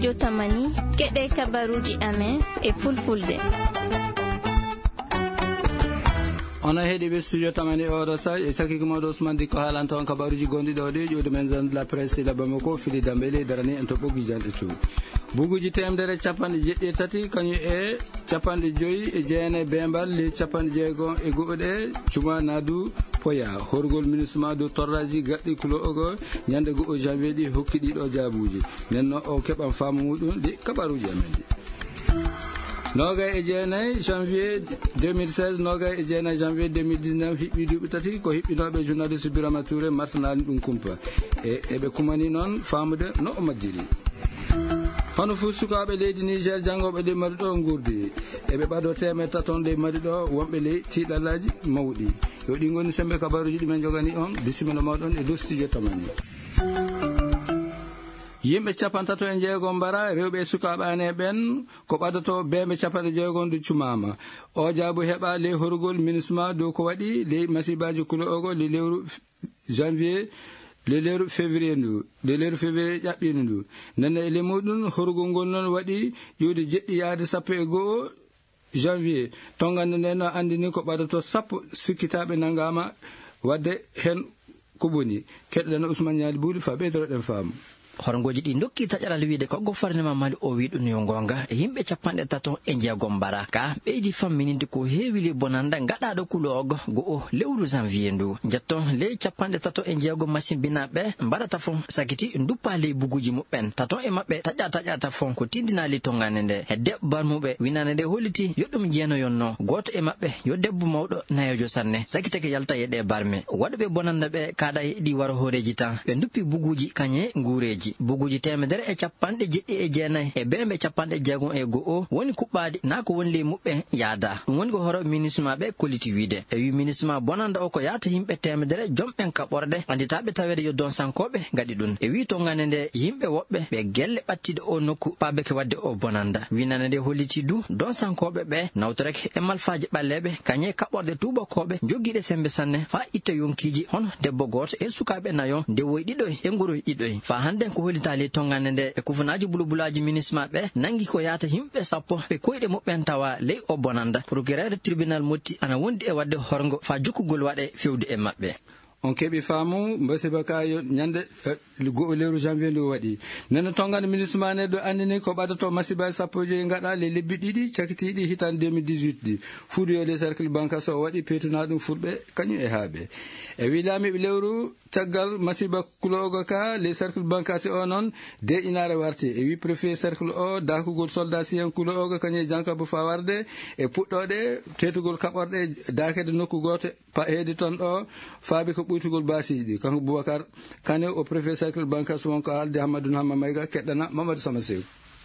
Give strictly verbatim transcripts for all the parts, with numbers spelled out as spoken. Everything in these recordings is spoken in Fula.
Yo tamani, keɗe kabaruuji amen e fulfulde. Onon heɗiiɓe studio tamani oɗo sa, e sakiko mawɗo Ousmane Dikko haalanta on kabaruuji gonɗi ɗo ɗi ƴuwde men zone de la presse la Bamako, fili dambe ley darani en to ɓoggi janɗe to. Buguuji teemedere capanɗe jeɗɗi e tati, kañum e capanɗe joyi e jeenayi beembal ley capanɗe jeego e go'o ɗe, cuma naadu poya. Horgol ministre ma dow torraji gaɗɗi kulo ogo ñande go'o janvier ɗi hokki ɗiɗo jaabuuji. Nden no o keɓan faamu muɗum ɗi kabaruuji amen ɗi. Noogay e jeenayi janvier deux mille seize, noogay e jeenayi janvier deux mille dix-neuf, hiɓɓi duuɓi tati ko hiɓɓinooɓe journaliste Birama Touré martanaani ɗum kumpa. E, eɓe kumani noon faamude no o majjiri. Hono fuu sukaaɓe leydi Niger janngooɓe ley Mali ɗo nguurdi, eɓe ɓadoo teemedde tato ley Mali ɗo, wonɓe ley tiiɗallaaji mawɗi. Yo ɗi ngoni semmbe kabaruuji ɗi men njogani on, bisimilla mooɗon e dow studio tamani. Yimɓe capantato e jeego mbara, rewɓe e sukaaɓe aane ɓen, ko ɓadotoo beembe capanɗe jeego ndu cumaama. O jaabu heɓa ley horugol minisma dow ko waɗi ley masibaaji kulo ogo ley lewru janvier, ley lewru février ndu, ley lewru février ƴaɓɓiindu ndu. Nden e ley muɗum, horugol ngol noon waɗi ƴuwde jeɗɗi yaade sappo e go'o janvier. Tongannde nden no anndini ko ɓadotoo sappo sikkitaaɓe nanngaama waɗde heen ko boni. Keɗoɗen Ousmane Ñaali Buuli faa ɓeydoreɗen faamu. Horngooji ɗi ndokki taƴaral wiyde ko gouvernement Mali o wi ɗum yo ngoonga, e yimɓe capanɗe tato e jeego mbara. Ka ɓeydi fammininde ko heewi ley bonannda gaɗaaɗo kuloogo go'o lewru janvier ndu. Njetton ley capanɗe tato e jeego masimbinaaɓe mbaɗata fo sakiti nduppa ley buguuji muɓɓen. Tato e maɓɓe taƴa taƴata fo ko tindinaa ley tongannde nde. Hedde barmuɓe winande nde holliti yo ɗum jeenayoonno. Gooto e maɓɓe yo debbo mawɗo nayeejo sanne, sakitake yalta e ɗee barme. Waɗuɓe bonannda ɓe kaaɗa e ɗi waro hooreeji tan. Ɓe nduppi buguuji kañe nguureeji. Buguuji teemedere e capanɗe jeɗɗi e jeenayi e beembe capanɗe jeegom e go'o woni kuɓɓaaɗi naa ko woni ley muɓɓen yaada. Ɗum woni ko horo minisma ɓe kolliti wiide. E wi minisma bonannda o ko yaata yimɓe teemedere jomɓen kaɓorɗe annditaaɓe taweede yo donsankooɓe ngaɗi ɗum. E wi tongannde nde yimɓe woɓɓe ɓe gelle ɓattiiɗe o nokku paabeke waɗde o bonannda. Winande nde holliti du donsankooɓe ɓe nawtorake e malfaaji ɓalleeɓe kañe kaɓorɗe tuubakooɓe jogiiɗe semmbe sanne faa itta yonkiiji hono debbo gooto e sukaaɓe nayo, ndewoy ɗiɗoy e ngoroy ɗiɗoy. Faa hannden ko hollitaa ley tongannde nde e kufunaaji bulbulaaji minisma ɓe nanngi ko yaata yimɓe sappo ɓe koyɗe muɓɓen tawa ley o bonannda. Procureur tribunal Motti ana wondi e waɗde horngo faa jokkugol waɗe fewde e maɓɓe. On keɓi faamu, masiba ka yo ñande, eh, go'o lewru janvier ndu waɗi. Nden no tongannde minisma ne ɗo anndini ko ɓadotoo masiba sappo e joyi ngaɗa ley lebbi ɗiɗi cakitiiɗi hitaande deux mille dix-huit ɗi. Fuudu yo ley cercle Bankaso o waɗi peetunaa ɗum fulɓe kañum e haaɓe. E wi laamiiɓe lewru caggal masiba kuloogo ka ley cercle Bankaso o noon, deeƴinaare warti. E wi préfet cercle o, daakugol soldat siyen kuloogo kañum e jankabu faa warde e puɗɗooɗe teetugol kaɓorɗe daakede nokku gooto pa-, heedi toon ɗo faabi ko ɓuytugol baasiiji ɗi. Kanko Boubacar Kane o préfet cercle Bankaso won ko haalde Hammadou Hamma Mayga, keɗɗana Mamadou Sama Sew.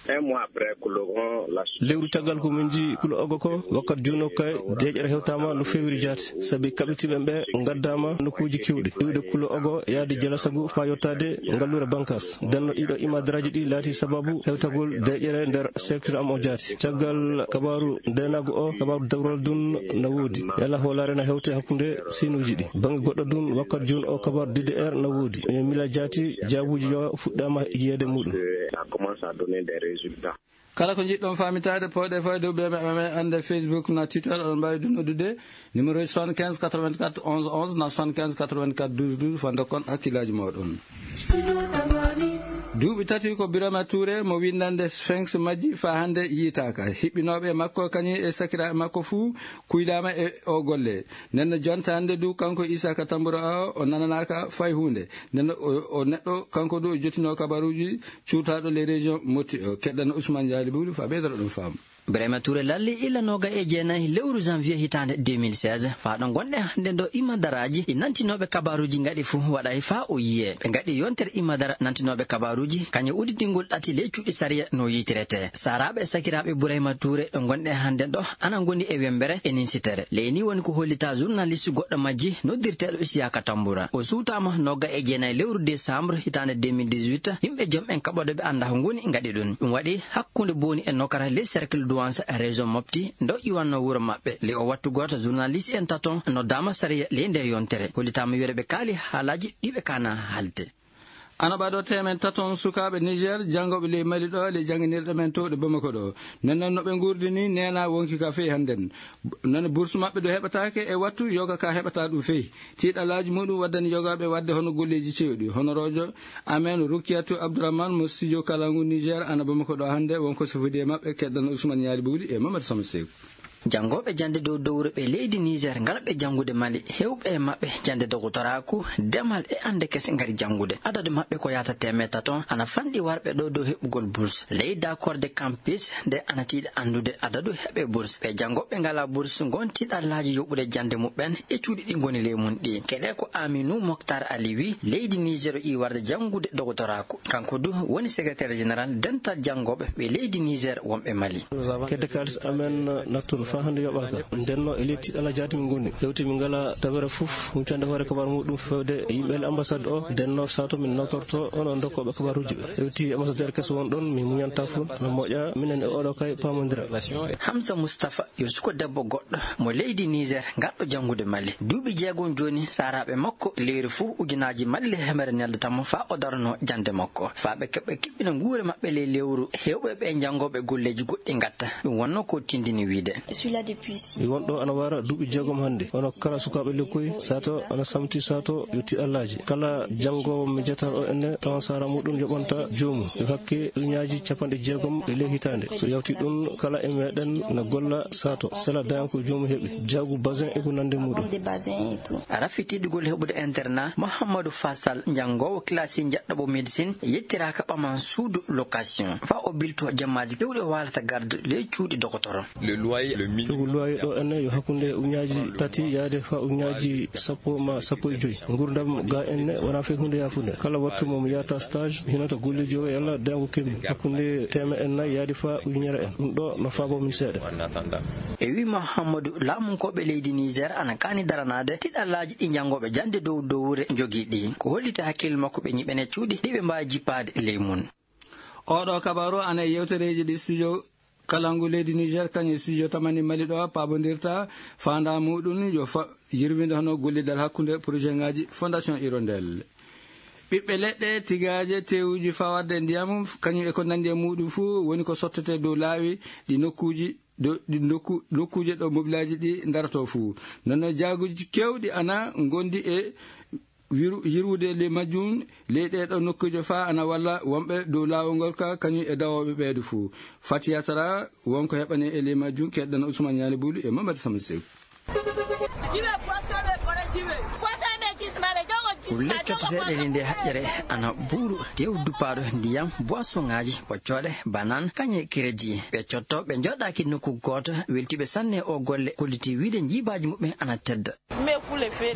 Un mois après, Koulogon, la Lewru caggal ko min njii kulo ogo ko, wakkat juuno kay, deeƴere hewtaama no feewiri jaati, sabi kaɓitiiɓe ɓe ngaddaama nokkuuji keewɗi, iwde kulo ogo yaade Jalasagu faa yottaade ngalluure Bankas. Nden no ɗiɗo imadaraaji ɗi laati sababu hewtagol deeƴere nder secteur am o jaati. Caggal kabaaru ndeenaagu o, kabaaru dawral dun na woodi. Yalla hoolaare na hewte hakkunde siinuuji ɗi. Bannge goɗɗo dun, wakkat jooni o kabaaru D D R na woodi. E mila jaati, jaabuuji yo fuɗɗaama yiyeede muɗum. Ça commence à donner des résultats. Kala ko njiɗɗon faamitaade, pooɗe fayde dow ɓe maɓɓe annde Facebook na Twitter, oɗon mbaawi dun noddude. Numéro soixante-quinze quatre-vingt-quatre onze onze na soixante-quinze quatre-vingt-quatre douze douze, faa ndokkon hakkillaaji mooɗon. Duuɓi tati ko Birama Touré mo winndannde Sphinx majji faa hannde yiytaaka. Hiɓɓinooɓe e makko kañum e sakiraaɓe makko fuu kuylaama e o golle. Nden no jonta hannde du kanko Isaka Tambura o, o nananaaka fay huunde. Nden no o, o neɗɗo kanko du o jottinoo kabaruuji cuutaaɗo les régions motti o. Keɗɗan Ousmane Diallo Boury faa ɓeydoro ɗum faamu. Birama Touré lalli illa nooga e jeenayi lewru janvier hitaande deux mille seize. Faa ɗo ngonɗen hannde ɗo, imadaraaji ɗi nantinooɓe kabaaruuji ngaɗi fuu waɗay faa o yiyee. Ɓe ngaɗi yontere imadara nantinooɓe kabaaruuji, kañum udditingol ɗati ley cuuɗi sariya no yiytirete. Saaraaɓe e sakiraaɓe Burayma Touré ɗo ngonɗen hannde ɗo ana ngoni e wemmbere e ninsitere. Ley nii woni ko hollitaa journaliste goɗɗo majji noddirteeɗo Isiyaka Tambura. O suutaama nooga e jeenayi lewru décembre hitaande deux mille dix-huit. Yimɓe jom en kaɓoɗo ɓe anndaa ko ngoni ngaɗi ɗum. Ɗum waɗi hakkunde Booni e Nokara ley cercle Douança région Mopti, ndo iwanno wuro maɓɓe. Ley o wattu gooto, journaliste en taton noddaama sariya ley nde yontere. Hollitaama wiyeede ɓe kaali haalaaji ɗi ɓe kaana haalde. Ana ɓaɗo temen taton sukaaɓe Niger, janngooɓe ley Mali ɗo, ley jannginirɗe men towɗe Bamako ɗo. Nden noon no ɓe nguurdi ni, neena wonki ka feyi hannden. Nane bourse maɓɓe ɗo heɓataake e wattu, yoga ka heɓata ɗum feyi. Tiiɗalaaji muɗum waddani yogaaɓe waɗde hono golleeji cewɗi. Honoroojo amen Rukiyatu Abdourahmane mo studio Kalangu Niger, ana Bamako ɗo hannde, wonko sifodi e maɓɓe, keddana Ousmane Ñaali Bowli e Mamadou Sama Seeku. Janngooɓe jannde dow dowre ɓe leydi Niger ngalɓe janngude Mali, heewɓe e maɓɓe jannde dogotoraaku, demal e annde kese ngari janngude. Adadu maɓɓe ko yahata teemedde taton, ana fanɗi warɓe ɗo dow heɓugol bourse. Ley d'accord de campus nde ana tiiɗa anndude adadu heɓe bourse. Ɓe janngooɓe ngalaa bourse ngon tiiɗalaaji yoɓude jannde muɓɓen e cuuɗi ɗi ngoni ley mum ɗi. Keɗe ko Aminu Mokhtar Ali wi, leydi Niger o iwarde janngude dogotoraaku. Kanko du woni secrétaire général dental janngooɓe ɓe leydi Niger wonɓe Mali. Kedde kaalis amen nattuno faa hannde yoɓaaka. Ndenno e ley tiiɗalla jaati min ngoni. Hewti min ngala dabere fof, huncande hoore kabar muɗum fewde e yimɓe e ambassade o. Ndenno sato min notorto onon dokkooɓe kabaruuji ɓe. Hewti ambassadeur keso won ɗon, min muñanta fof, no moƴƴa minen e oɗo kay paamondira. Hamza Mustafa yo suko debbo goɗɗo mo leydi Niger, ngarɗo janngude Mali. Duuɓi jeegom jooni, saaraaɓe makko leyru fof ujunaaji Mali e hemere neldata mo faa o darano jannde makko. Faa ɓe keɓa kiɓɓina nguure maɓɓe ley lewru, heewɓe ɓe janngooɓe golleeji goɗɗi ngatta. Ɗum wonno ko tindini wiide. Mi won ɗo ana wara duuɓi jeegom hannde. Hono kala sukaaɓe lekkoy, sato ana samti sato yo tiiɗallaaji. Kala janngoowo mi jetar o enne, tawan saara muɗum yoɓanta joomum. Yo hakke ujunnaaji capanɗe jeegom e ley hitaande. So yawti ɗum, kala e meɗen na golla sato. Sela dayan ko joomum heɓi. Jaagu basin e ko nande muɗum. Rafi tiiɗugol heɓude internat, Mouhamadou Fassal, janngoowo classe njaɗɗoɓo médecine, yettiraaka ɓaman suudu location. Faa o bilto jammaaji kewɗi o waalata garde ley cuuɗi dokotoro. Coggu luwaayi ɗo enne yo hakkunde ujunnaaji tati yaade faa ujunnaaji sappo ma sappo e joy. Nguurndam ga enne wona fey huunde yaafunde. Kala wattu mo mi yahata stage, mi hinata golleeji o yalla dayango keɓmi. Hakkunde teemeɗɗe nayi yaade faa ujunere en. Ɗum ɗo no faabo min seeɗa. E wii Mouhamadou, laamunkooɓe leydi Niger ana kaani daranaade tiiɗallaaji ɗi janngooɓe jannde dow dowre njogii ɗi. Ko holliti hakkille makko ɓe ñiɓene cuuɗi ɗi ɓe mbaawi jippaade ley mum. Oɗo kabaru ana e yewtereeji ɗi studio Kalangu leydi Niger, kañum e studio Tamani Mali ɗo paabondirta, faandaa muɗum yo fa-, yirwinde hono gollidal hakkunde projet ngaji Fondation Hirondelle. Ɓiɓɓe leɗɗe, tigaaje, tewuji fawarde e ndiyam, kañum e ko nandi e muɗum fuu woni ko sottete dow laawi ɗi nokkuuji, dow ɗi nokku-, nokkuuje ɗo mobilaaji ɗi ndaroto fuu. Nono jaaguji kewɗi ana ngondi e wiru-, yirwude ley majjum, ley ɗee ɗoo nokkuuje faa ana walla wonɓe dow laawol ngol ka, kañum e dawooɓe ɓeeɗo fuu. Fatiya Tara, won ko heɓane e ley majjum, keɗɗen Ousmane Ñaali Bulu e Mamadou Sama Seeku. Kulle cotteteeɗe e nde haƴƴere ana buuru, tew duppaaɗo ndiyam, boisonŋaaji, ɓoccooɗe, banan, kañe crédit. Ɓe cotto, ɓe njooɗaaki nokku gooto, weltiiɓe sanne o golle, kolliti wiide njiibaaji muɓɓen ana tedda.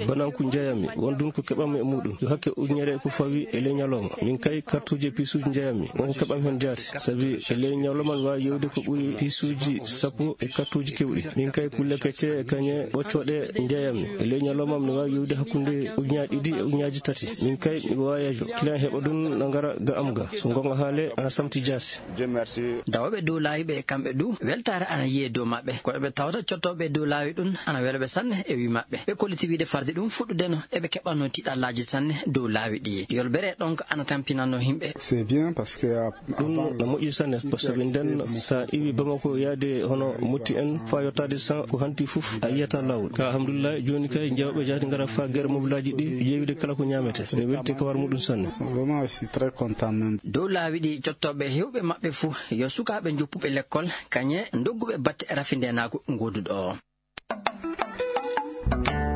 Bananku njeeyami, won ɗum ko keɓanmi e muɗum. Yo hakke ujunere ko fawi e ley ñalawma. Min kay, kartuuje e piisuuji njeeyami. Won ko keɓanmi heen jaati. Sabi e ley ñalawma mi waawi yeewde ko ɓuri piisuuji sappo e kartuuje keewɗi. Min kay, kulle kecce e kañe ɓoccooɗe njeeyami. E ley ñalawma mi waawi yeewde hakkunde ujunnaaji ɗiɗi e ujunnaaji tati. Min kay, mi waayeejo. Client heɓa ɗum na ngara ga am ga. So goonga haale, ana samti jaati. Dawooɓe dow laawi ɓe, kamɓe du, weltaare ana yiye dow maɓɓe. Ko ɓe tawata cottooɓe dow laawi ɗum ana wela ɓe sanne e wii maɓɓe. Ɓe kolliti wiide farde ɗum fuɗɗudeno eɓe keɓanno tiiɗallaaji sanne dow laawi ɗi. Yolbere ɗon ko ana tampinanno yimɓe. C'est bien parce que, euh, ɗum no moƴƴi sanne, par ce que nden sa iwi Bamako yaade hono Motti en faa yottaade san ko hanti fof a yiyata laawol. Ka alhamdulillah, jooni kay jawɓe jaati ngara faa gere mobilaaji ɗi, ƴeewide kala ko ñaamete. Ene welti ka war muɗum sanne. Vraiment, je suis très content même. Dow laawi ɗi, cottooɓe heewɓe maɓɓe fuu yo sukaaɓe njoppuɓe lekkol, kañe ndogguɓe batte rafindeenaagu ngooduɗo o.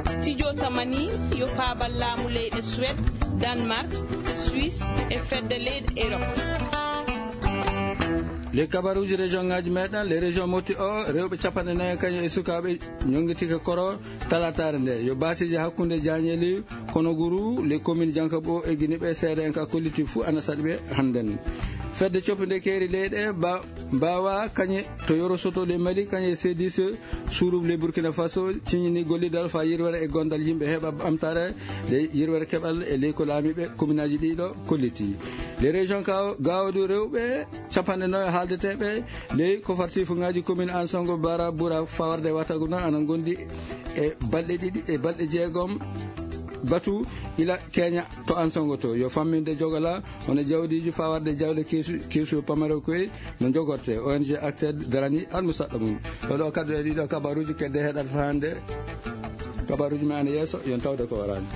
Studio Tamani yo paabal laamu leyɗe Suède, Danemark, Suisse e fedde leyɗe Europe. Ley kabaruuji région ŋaaji meɗen, ley région Motti o, rewɓe capanɗe nayi kañum e sukaaɓe ñonngitike koro talaataare nde. Yo baasiiji hakkunde Jaañeeli, Konoguru, ley commune Jankaɓo e Giniɓe, seede'en ka kolliti fuu ana saɗi ɓe hannden. Fedde coppude keeri leyɗe ba-, mbaawa kañe to Yoro Soto ley Mali, kañe e C D C, Suruɓe ley Burkina Faso ciññini gollidal faa yirwere e gondal yimɓe heɓa ɓamtaare ley yirwere keɓal e ley ko laamiiɓe kominaaji ɗiɗo kolliti. Ley région Gao-, Gaodu rewɓe capanɗe nayo haaldeteeɓe ley kofartiifuŋaaji commune Ansongo Bara Bura fawarde watagu noon ana ngondi e balɗe ɗiɗi e balɗe jeegom Batu ila Kenya to Ansongo to yo famminde jogala hono jawdiiji fawarde jawle keesu keesu pamaro koy no jogorte O N G Acted darani almusaɗɗo mum. Ɗo ɗo kaddu e ɗiɗo kabaruuji kedde heɗata hannde. Kabaruuji men ana yeeso yon tawde ko warani.